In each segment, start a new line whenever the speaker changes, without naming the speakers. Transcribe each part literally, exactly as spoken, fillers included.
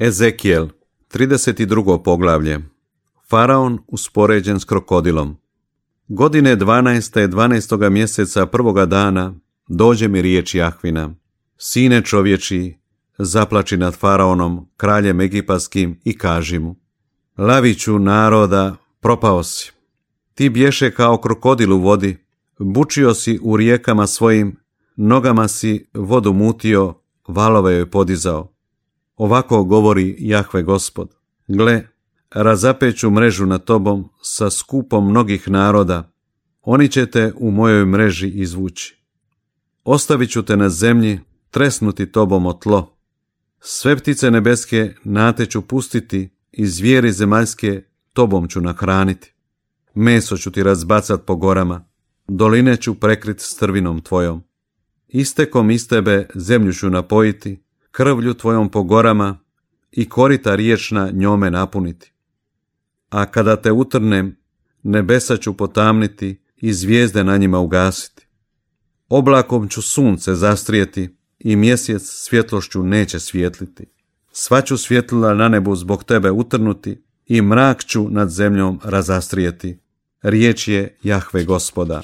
Ezekijel, trideset drugo poglavlje. Faraon uspoređen s krokodilom. Godine dvanaeste, dvanaestoga mjeseca prvoga dana dođe mi riječ Jahvina. Sine čovječi, zaplači nad Faraonom, kraljem egipatskim, i kaži mu: Laviću naroda, propao si. Ti bješe kao krokodil u vodi, bučio si u rijekama svojim, nogama si vodu mutio, valove joj podizao. Ovako govori Jahve Gospod: Gle, razapeću mrežu nad tobom sa skupom mnogih naroda, oni će te u mojoj mreži izvući. Ostavit ću te na zemlji, tresnuti tobom o tlo. Sve ptice nebeske na te ću pustiti i zvijeri zemaljske tobom ću nahraniti. Meso ću ti razbacat po gorama, doline ću prekrit strvinom tvojom. Istekom iz tebe zemlju ću napojiti, krvlju tvojom po gorama i korita riječna njome napuniti. A kada te utrnem, nebesa ću potamniti i zvijezde na njima ugasiti. Oblakom ću sunce zastrijeti i mjesec svjetlošću neće svijetliti. Sva ću svjetlila na nebu zbog tebe utrnuti i mrak ću nad zemljom razastrijeti. Riječ je Jahve Gospoda.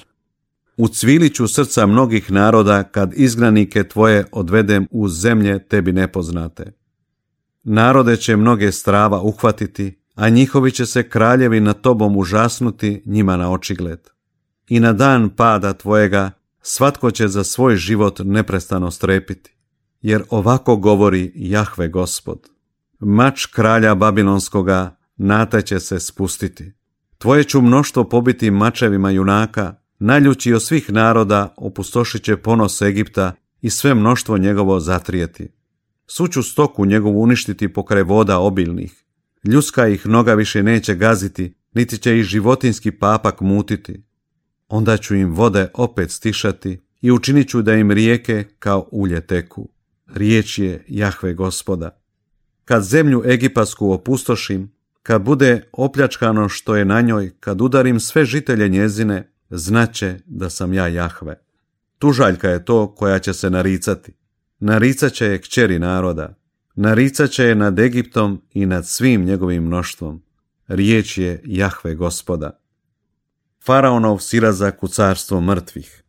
Ucvilit ću srca mnogih naroda kad izgnanike tvoje odvedem u zemlje tebi nepoznate. Narode će mnoge strava uhvatiti, a njihovi će se kraljevi nad tobom užasnuti njima na očigled. I na dan pada tvojega svatko će za svoj život neprestano strepiti, jer ovako govori Jahve Gospod: Mač kralja Babilonskoga na te će se spustiti. Tvoje ću mnoštvo pobiti mačevima junaka, naljući od svih naroda opustošit će ponos Egipta i sve mnoštvo njegovo zatrijeti. Svu ću stoku njegovu uništiti pokraj voda obilnih. Ljudska ih noga više neće gaziti, niti će ih životinski papak mutiti. Onda ću im vode opet stišati i učinit ću da im rijeke kao ulje teku. Riječ je Jahve Gospoda. Kad zemlju egipatsku opustošim, kad bude opljačkano što je na njoj, kad udarim sve žitelje njezine, znaće da sam ja Jahve. Tužaljka je to koja će se naricati. Naricat će je kćeri naroda. Naricat će je nad Egiptom i nad svim njegovim mnoštvom. Riječ je Jahve Gospoda. Faraonov silazak u carstvo mrtvih.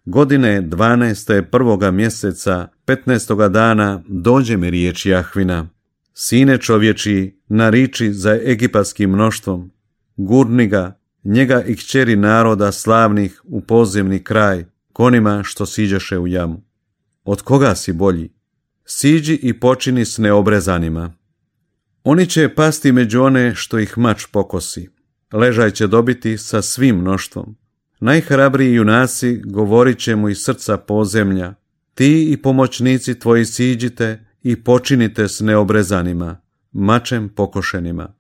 Godine dvanaeste prvoga mjeseca, petnaestoga dana, dođe mi riječ Jahvina. Sine čovječi, nariči za egipatskim mnoštvom. Gurni ga, njega i kćeri naroda slavnih, u podzemni kraj, konima što siđeše u jamu. Od koga si bolji? Siđi i počini s neobrezanima. Oni će pasti među one što ih mač pokosi. Ležaj će dobiti sa svim mnoštvom. Najhrabriji junaci govorit će mu iz srca podzemlja: Ti i pomoćnici tvoji siđite i počinite s neobrezanima, mačem pokošenima.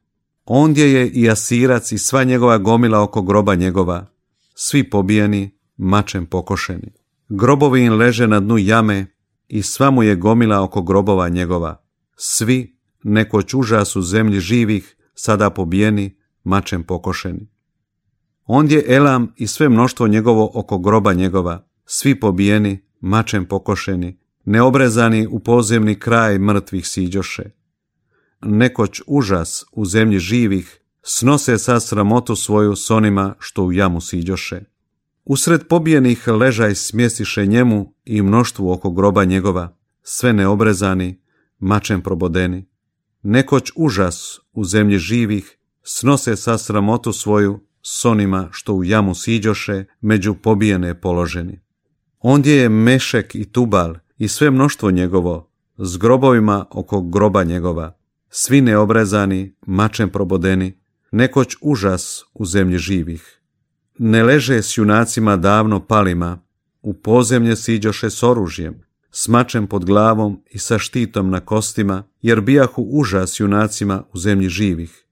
Ondje je i Asirac i sva njegova gomila oko groba njegova, svi pobijeni, mačem pokošeni. Grobovi im leže na dnu jame i sva mu je gomila oko grobova njegova. Svi, nekoć užas u zemlji živih, sada pobijeni, mačem pokošeni. Ondje Elam i sve mnoštvo njegovo oko groba njegova, svi pobijeni, mačem pokošeni, neobrezani u podzemni kraj mrtvih siđoše. Nekoć užas u zemlji živih, snose sa sramotu svoju s onima što u jamu siđoše. Usred pobijenih ležaj smjestiše njemu i mnoštvu oko groba njegova, sve neobrezani, mačem probodeni. Nekoć užas u zemlji živih, snose sa sramotu svoju s onima što u jamu siđoše, među pobijene položeni. Ondje je Mešek i Tubal i sve mnoštvo njegovo, s grobovima oko groba njegova, svi neobrezani, mačem probodeni, nekoć užas u zemlji živih. Ne leže s junacima davno palima, u podzemlje siđoše s oružjem, s mačem pod glavom i sa štitom na kostima, jer bijahu užas junacima u zemlji živih.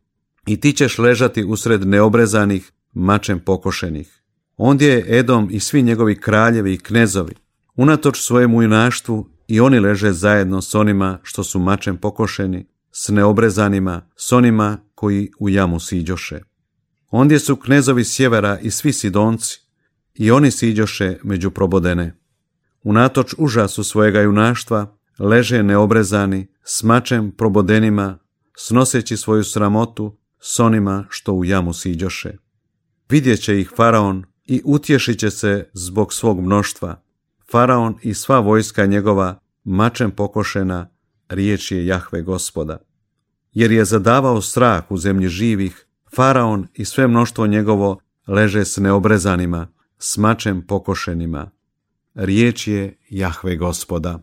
I ti ćeš ležati usred neobrezanih, mačem pokošenih. Ondje je Edom i svi njegovi kraljevi i knezovi. Unatoč svojemu junaštvu i oni leže zajedno s onima što su mačem pokošeni, s neobrezanima, s onima koji u jamu siđoše. Ondje su knezovi sjevera i svi Sidonci, i oni siđoše među probodene. Unatoč užasu svojega junaštva, leže neobrezani, s mačem probodenima, snoseći svoju sramotu s onima što u jamu siđoše. Vidjet će ih Faraon i utješit će se zbog svog mnoštva. Faraon i sva vojska njegova, mačem pokošena, riječ je Jahve Gospoda. Jer je zadavao strah u zemlji živih, Faraon i sve mnoštvo njegovo leže s neobrezanima, s mačem pokošenima. Riječ je Jahve Gospoda.